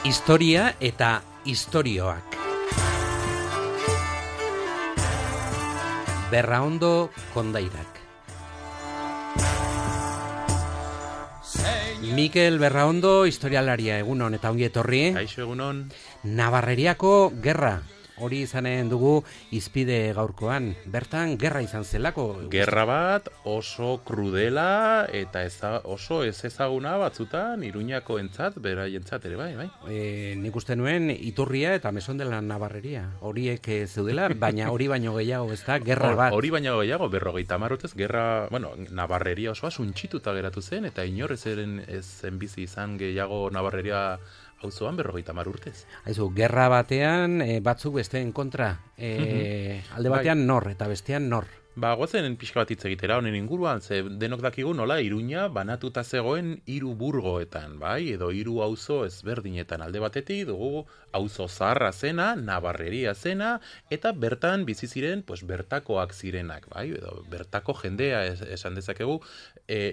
Historia eta istorioak. Berraondo Kondairak. Mikel Berraondo, historialaria, egunon eta ongi etorri. Kaixo, egunon. Navarreriako gerra. Hori izanen dugu izpide gaurkoan. Bertan, gerra izan zelako. Gerra bat oso krudela eta oso ez ezaguna batzutan Iruñako entzat, beraientzat ere bai. Nik uste nuen iturria eta meson dela Navarreria. Horiek zeudela, baina hori baino gehiago ez da, gerra bat. Hori baino gehiago, 50 urtez, gerra, Navarreria osoa suntxituta geratu zen, eta inor ez zen bizi izan gehiago Navarreria auzoan 50 urtez. Aizu, gerra batean batzuk besteen kontra. Alde batean nor eta bestean nor. Goazen pixka bat hitz egitera honen inguruan, ze denok dakigu nola Iruña banatuta zegoen 3 burgoetan, bai, edo 3 auzo ezberdinetan. Alde batetik dugu auzo zaharra zena, Navarreria zena, eta bertan bizi ziren, bertakoak zirenak, bai, edo bertako jendea esan dezakegu,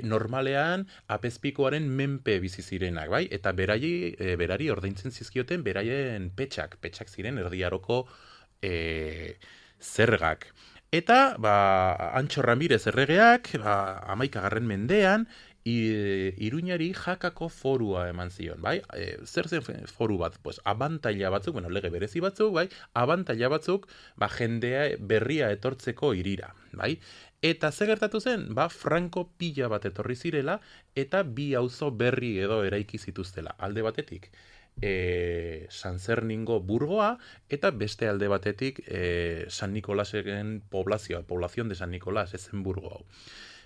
normalean apezpikoaren menpe bizi zirenak, bai, eta berari ordaintzen zizkioten beraien petxak ziren erdiaroko zergak. Eta, Antxo Ramirez erregeak, 11. mendean, Iruñari jakako forua eman zion, bai? Zer zen foru bat? Abantaila batzuk, lege berezi batzuk, bai? Abantaila batzuk, jendea berria etortzeko irira, bai? Eta ze gertatu zen? Franko pila bat etorri zirela, eta 2 auzo berri edo eraiki zituztela, alde batetik. San Zerningo burgoa eta beste alde batetik San Nikolasen poblazion de San Nikolas, ezen burgo hau.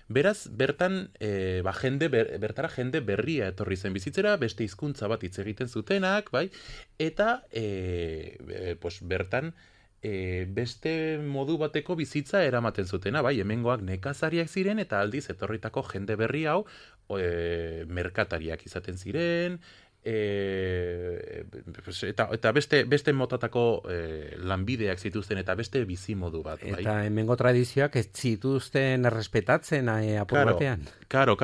Beraz, bertan bertara jende berria etorri zen bizitzera, beste hizkuntza bat hitz egiten zutenak, bai? Eta bertan beste modu bateko bizitza eramaten zutena, bai? Hemengoak nekazariak ziren eta aldiz etorritako jende berri hau merkatariak izaten ziren, eta beste motatako lanbideak zituzten eta beste bizimodu bat, bai? Eta hemengo tradizioak ez zituzten errespetatzen apur batean. Karo,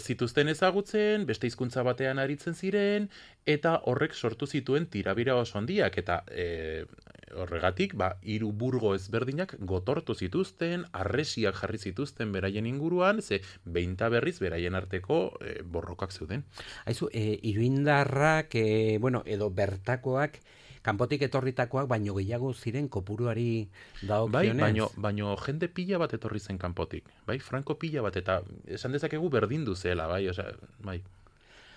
zituzten ezagutzen, beste hizkuntza batean aritzen ziren, eta horrek sortu zituen tirabira oso handiak, eta horregatik, 3 burgo ezberdinak gotortu zituzten, harresiak jarri zituzten beraien inguruan, ze behinta berriz beraien arteko borrokak zeuden. Aizu, iruindarrak, edo bertakoak, kanpotik etorritakoak, baino gehiago ziren kopuruari dagokionez. Baino jende pila bat etorri zen kanpotik, bai? Franko pila bat, eta esan dezakegu berdindu zela, bai? Bai.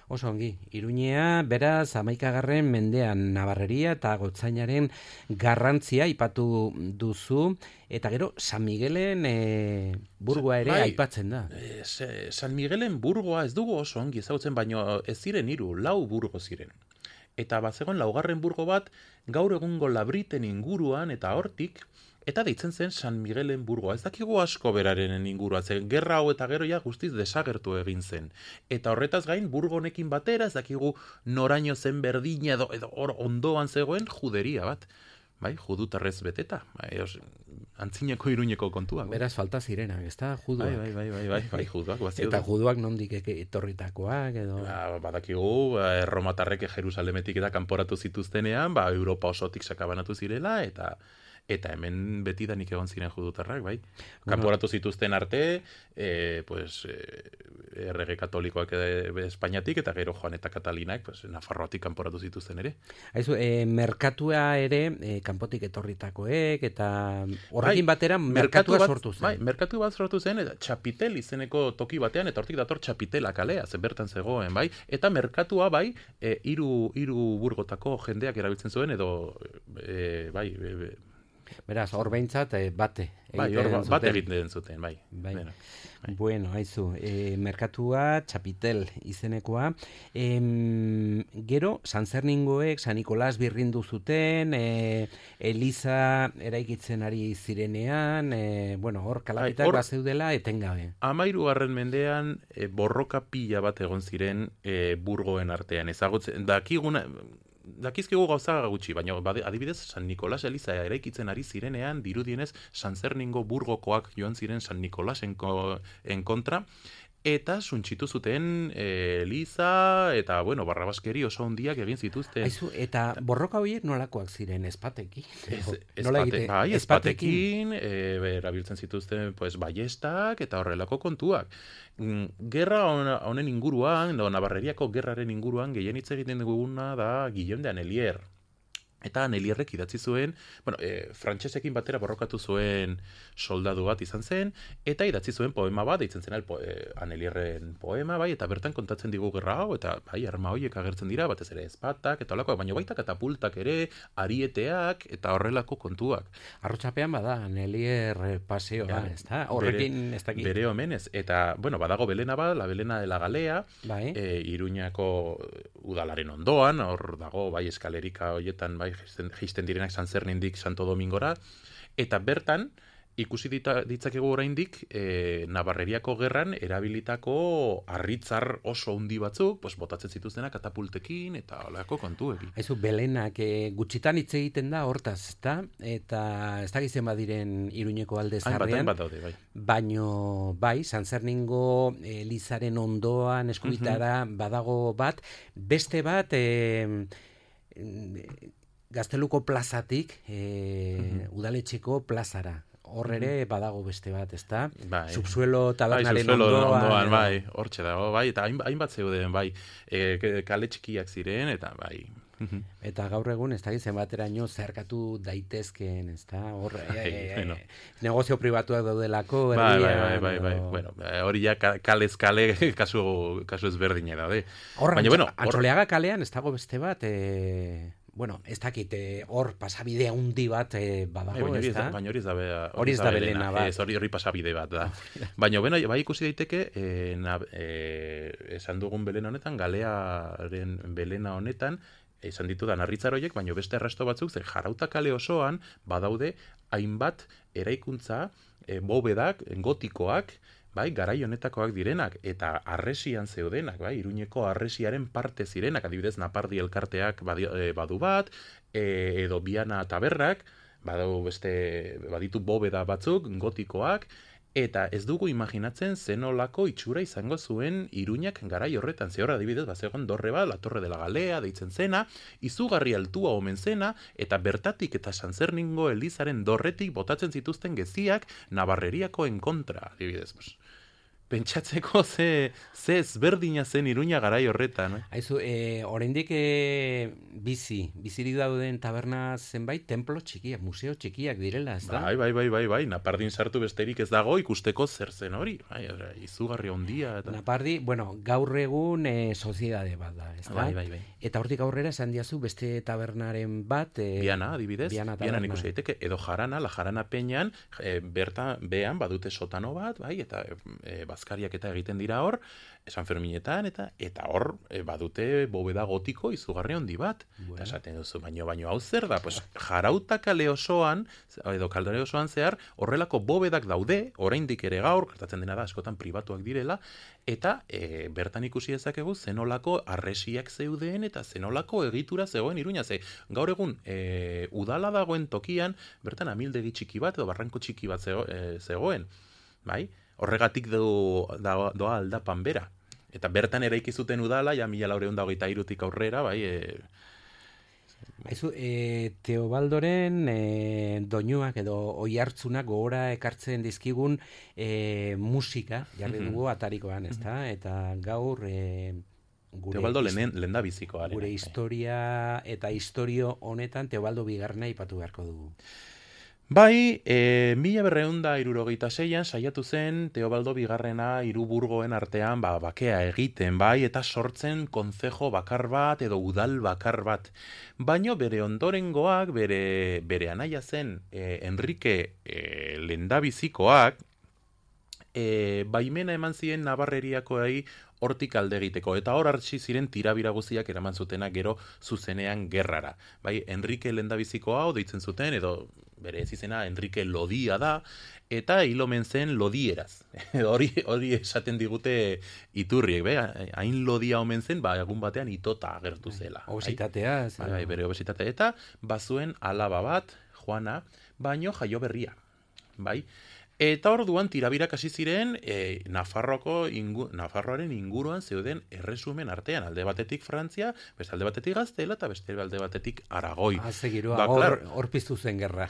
Oso ongi, Iruñea, beraz, 11. mendean Navarreria eta Gotzainaren garrantzia aipatu duzu, eta gero San Miguelen burgoa ere aipatzen da. San Miguelen burgoa ez dugu oso ongi ezagutzen, baino ez ziren 3, 4 burgo ziren. Eta bazegoen 4. burgo bat gaur egungo Labriten inguruan eta hortik, eta deitzen zen San Miguelen burgoa. Ez dakigu asko beraren ingurua, ze gerra hau eta gero guztiz desagertu egin zen. Eta horretaz gain, burgo honekin batera, ez dakigu noraino zen berdina edo hor ondoan zegoen juderia bat. Bai, judutarrez beteta. Antzineko Iruñeko kontuak. Beraz, falta zirenak, ez da, juduak. Bai, juduak. Eta juduak nondik etorritakoak, edo... Badakigu, erromatarrek Jerusalemetik eta kanporatu zituztenean, Europa osotik sakabanatu zirela, eta hemen betidanik egon ziren judutarrak, bai? Kanporatu zituzten arte, errege katolikoak Espainiatik, eta gero Joan eta Katalinak, Nafarroatik kanporatu zituzten ere. Aizu, merkatua ere, kanpotik etorritakoek, eta horrekin batera merkatua sortu zen. Bai, merkatu bat sortu zen, eta Txapitel izeneko toki batean, eta hortik dator Txapitela kalea, bertan zegoen, bai? Eta merkatua, bai, 3 burgotako jendeak erabiltzen zuen, edo, bai, beraz, hor behintzat bate. Bat egiten zuten, bai. Bueno, haizu, merkatua, Txapitel izenekoa. Gero, San Zerningoek, San Nikolas birrindu zuten, Eliza eraikitzen ari zirenean, hor kalapitak bazeudela etengabe. 13. mendean borroka pila bat egon ziren burgoen artean. Ezagutzen, dakizkigu gauza gutxi, baina adibidez San Nikolas Eliza eraikitzen ari zirenean, dirudienez San Zerningo burgokoak joan ziren San Nikolasen kontra, eta suntsitu zuten eliza, eta, bueno, barrabaskeri oso handiak egin zituzten. Aizu, eta borroka horiek nolakoak ziren, espatekin? Espatekin, erabiltzen zituzten pues, ballestak eta horrelako kontuak. Gerra honen inguruan, Navarreriako gerraren inguruan, gehien hitz egiten duguna da Guillaume de Annelier. Eta Annelierrek idatzi zuen, frantsesekin batera borrokatu zuen soldadu bat izan zen, eta idatzi zuen poema bat, deitzen zen Annelierren poema, bai, eta bertan kontatzen digu gerra hau, eta bai, arma horiek agertzen dira, batez ere espatak, eta holakoak, baina baita katapultak ere, arieteak, eta horrelako kontuak. Arrotxapean bada, Annelier paseoa, ez da? Horrekin ez dakit. Bere omenez, eta, bueno, badago Belena bat, la Belena de la Galea, bai. Iruñako udalaren ondoan, hor dago, bai, eskalerika horietan, bai, jisten direnak San Zernindik Santo Domingora, eta bertan, ikusi ditzakegu oraindik Navarreriako gerran erabilitako harritzar oso handi batzuk, pues, botatzen zituztenak katapultekin eta holako kontuekin. Aizu, Belenak gutxitan hitz egiten da hortaz, ezta? Eta ez dakizen badiren Iruñeko alde zarrean. Bat daude, bai. Baino, bai, San Zerningo elizaren ondoan eskubitara badago bat, beste bat Gazteluko plazatik udaletxeko plazara. Hor ere badago beste bat, ezta? Bai. Subsuelo tabernaren ondoan. Bai, hortxe dago, bai, eta hainbat zeuden, bai, kale txikiak ziren, eta bai. Eta gaur egun, ez da gizen bateraino zerkatu daitezkeen, ez da? Hor, negozio pribatuak daudelako, Bai. Bueno, hori ja kalez kale kasu ezberdine daude. Baina, bueno, Antxoleaga kalean ez dago beste bat, bueno, ez dakit, hor pasabide handi bat badago, ez da? Baina hori ez da Belena bat. Hori pasabide bat da. Baina, bueno, bai ikusi daiteke, esan dugun Belena honetan, Galearen Belena honetan, esan ditudan harritzar horiek, baina beste arrasto batzuk, ze Jarauta kale osoan badaude hainbat eraikuntza, bobedak, gotikoak, bai, garai honetakoak direnak, eta harresian zeudenak, bai, Iruñeko harresiaren parte zirenak, adibidez Napardi elkarteak badu bat, edo Biana taberrak, baditu bobeda batzuk, gotikoak, eta ez dugu imaginatzen zenolako itxura izango zuen Iruñak garai horretan. Ze hor adibidez, bazegoen dorre bat, la Torre de la Galea, deitzen zena, izugarri altua omen zena, eta bertatik eta San Zerningo elizaren dorretik botatzen zituzten geziak Navarreriakoen kontra, adibidez. Pentsatzeko ze ezberdina zen Iruña garai horretan. Aizu, oraindik bizirik dauden taberna zenbait, templo txikiak, museo txikiak direla, ez da? Bai, Napardin sartu besterik ez dago ikusteko zer zen hori. Bai, izugarri handia. Eta... Napardi, bueno, gaur egun soziedade bat da, ez da? Bai. Eta hortik aurrera esan diazu beste tabernaren bat... Biana, adibidez. Biana ikusi daiteke, edo Jarana, la Jarana Peñan, behan badute sotano bat, bai, eta bazkariak eta egiten dira hor, San Ferminetan, eta hor badute bobeda gotiko izugarri handi bat. Eta esaten duzu, baino hau zer da? Pues, Jarauta kale osoan, edo kaldare osoan zehar, horrelako bobedak daude, oraindik ere gaur, gertatzen dena da, askotan pribatuak direla, eta bertan ikusi dezakegu zenolako harresiak zeuden, eta zenolako egitura zegoen Iruña. Ze gaur egun, udala dagoen tokian, bertan amildegi txiki bat, edo barranko txiki bat zegoen. Bai? Horregatik doa aldapan bera. Eta bertan eraiki zuten udala, ja 1423tik aurrera, bai... Aizu, Teobaldoren doinuak edo oihartzunak gogora ekartzen dizkigun musika, jarri dugu atarikoan, ezta? Eta gaur... Teobaldo lenda bizikoa. Gure historia eta historio honetan Teobaldo bigarrena aipatu beharko dugu. Bai, 1266an saiatu zen Teobaldo bigarrena Hiruburgoen artean bakea egiten, bai, eta sortzen kontzejo bakar bat edo udal bakar bat. Baino bere ondorengoak, bere anaia zen Enrique lehendabizikoak, baimena eman zien Navarreriakoei hortik alde egiteko, eta hor hartzi ziren tirabira guziak eraman zutenak gero zuzenean gerrara. Bai, Enrique lehendabiziko hau deitzen zuten, edo bere ez izena Enrique Lodia da, eta hil omen zen lodieraz. Hori esaten digute iturriek, hain lodia omen zen, egun batean itota agertu zela. Obesitatea. Bai, bere obesitatea. Eta bazuen alaba bat, Juana, baino jaio berria. Bai, Eta orduan tirabirak hasi ziren Nafarroaren inguruan zeuden erresumen artean, alde batetik Frantzia, beste alde batetik Gaztela eta beste alde batetik Aragoi. Giroa, hor piztu zen gerra.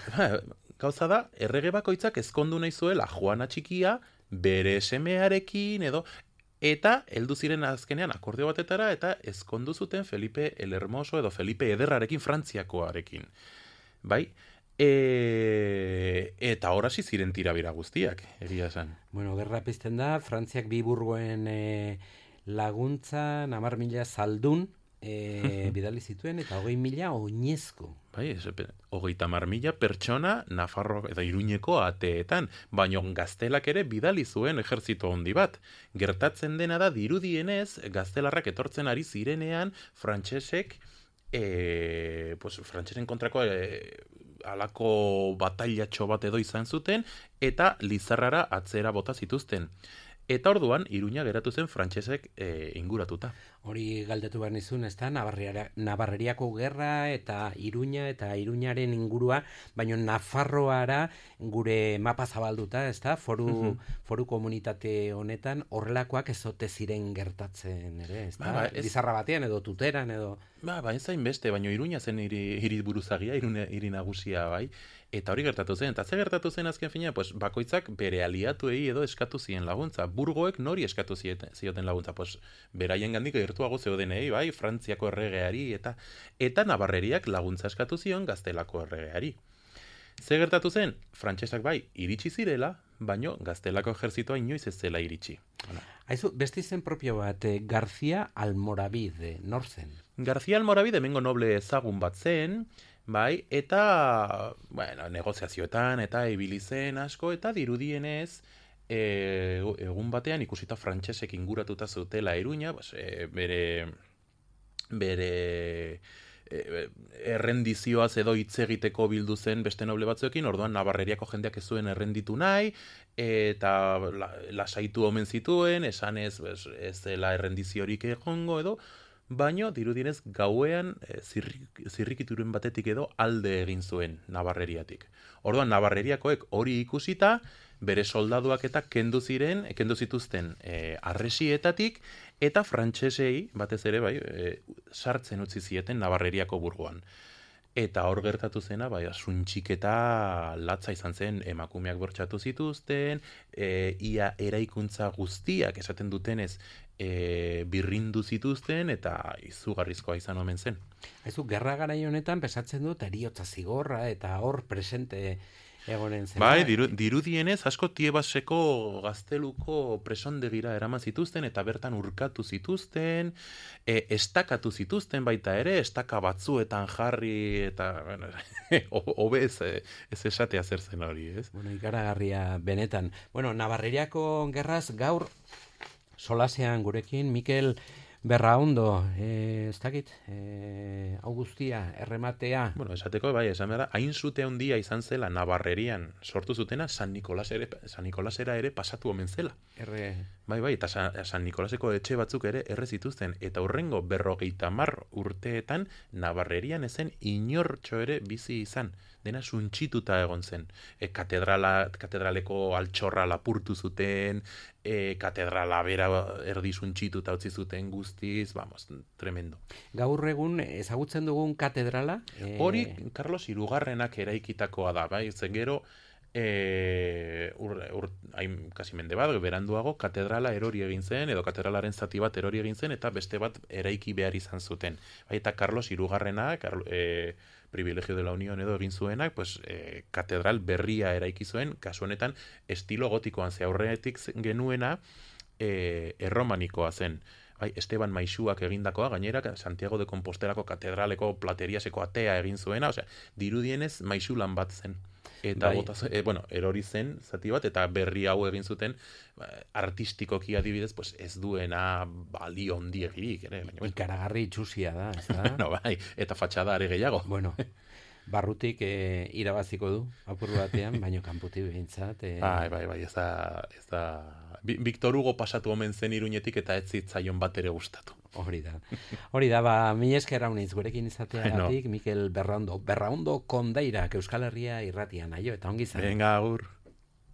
Gauza da, errege bakoitzak ezkondu nahi zuela Juana Txikia bere semearekin eta heldu ziren azkenean akordio batetara eta ezkondu zuten Felipe el Hermoso edo Felipe Ederrarekin Frantziakoarekin. Bai? Eta horasi ziren tirabira guztiak, egia esan. Bueno, gerra pizten da, Frantziak bi burgoen laguntza, 10.000 zaldun bidali zituen, eta 20.000 oinezko. Bai, 30.000 pertsona Nafarro eta Iruñeko ateetan, baino Gaztelak ere bidali zuen ejertzito handi bat. Gertatzen dena da, dirudienez, Gaztelarrak etortzen ari zirenean, frantsesek frantsesen kontrako alako batailatxo bat edo izan zuten, eta Lizarrara atzera bota zituzten. Eta orduan, Iruña geratu zen frantsesek inguratuta. Hori galdetu behar nizun, ez da, Navarreriako gerra eta Iruña eta Iruñaren ingurua, baina Nafarroara gure mapa zabalduta, ez da, foru komunitate honetan horrelakoak ezote ziren gertatzen, ere, ez da, Lizarra batean edo Tuteran edo... Ez zain beste, baina Iruña zen hiri buruzagia, hiri nagusia, bai, eta hori gertatu zen. Eta ze gertatu zen azken fina, bakoitzak bere aliatuei edo eskatu zien laguntza. Burgoek nori eskatu zioten laguntza, beraien gandik gertuago zeudenei, bai, Frantziako erregeari, eta Navarreriak laguntza eskatu zion Gaztelako erregeari. Ze gertatu zen, frantsesak bai, iritsi zirela, baino Gaztelako ejerzitoa inoiz ez zela iritsi. Haizu, beste izen propio bat, García Almoravide, nor zen? García Almoravide hemengo noble ezagun bat zen, bai, eta, negoziazioetan, eta ibili zen asko, eta dirudienez, egun batean ikusita frantsesek inguratuta zutela Iruña, bere errendizioaz edo hitz egiteko bildu zen beste noble batzuekin, orduan Navarreriako jendeak ez zuen errenditu nahi, eta lasaitu omen zituen, esanez ez dela errendiziorik egongo edo, baino dirudienez gauean zirrikituren batetik edo alde egin zuen Navarreriatik. Orduan Navarreriakoek hori ikusita, bere soldaduak eta kendu zituzten arresietatik, eta frantsesei batez ere sartzen utzi zieten Navarreriako burgoan. Eta hor gertatu zena, suntxiketa latza izan zen, emakumeak bortxatu zituzten, ia eraikuntza guztiak esaten dutenez birrindu zituzten, eta izugarrizkoa izan omen zen. Haizu, gerra garai honetan pesatzen dut eriotza zigorra, eta hor presente egonen zen. Bai, dirudienez, asko Tiebaseko gazteluko presondegira eraman zituzten, eta bertan urkatu zituzten, estakatu zituzten baita ere, estaka batzuetan jarri, eta, hobe ez esatea zer zen hori, ez? Ikaragarria benetan. Navarreriako gerraz gaur solasean gurekin, Mikel Berraondo, ez dakit, hau guztia, errematea. Esateko, esan behar da, hain zute handia izan zela Navarrerian sortu zutena San Nikolasera ere pasatu omen zela. Eta San Nikolaseko etxe batzuk ere erre zituzten, eta hurrengo 50 urteetan Navarrerian ezen inortxo ere bizi izan. Dena suntxituta egon zen. Katedraleko altxorra lapurtu zuten, katedrala bera erdi suntxituta utzi zuten guztiz, tremendo. Gaur egun ezagutzen dugun katedrala? Hori Carlos Hirugarrenak eraikitakoa da, bai, zen gero, kasi mende bat, beranduago, katedrala erori egin zen, edo katedralaren zati bat erori egin zen, eta beste bat eraiki behar izan zuten. Eta Carlos Hirugarrenak, privilegio de la Unión edo egin zuenak, katedral berria eraiki zuen, kasu honetan, estilo gotikoan ze aurretik genuena, erromanikoa zen. Esteban Maixuak egindakoa, gainera, Santiago de Compostelako katedraleko plateriaseko atea egin zuena, dirudienez Maixulan bat zen. Eta erori zen zati bat, eta berri hau egin zuten artistikoki adibidez, ez duena balio ondiegirik. Ikaragarri itxusia da, ez da? Eta fatxada are gehiago. Barrutik irabaziko du, apur batean, baino kanputik behintzat. Ez da... Victor Hugo pasatu omen zen Iruñetik eta ez zitzaion bat ere gustatu. Hori da, mila esker haunitz gurekin izateagatik, Mikel Berraondo Kondairak Euskal Herria irratian, eta ongi zan. Venga, agur.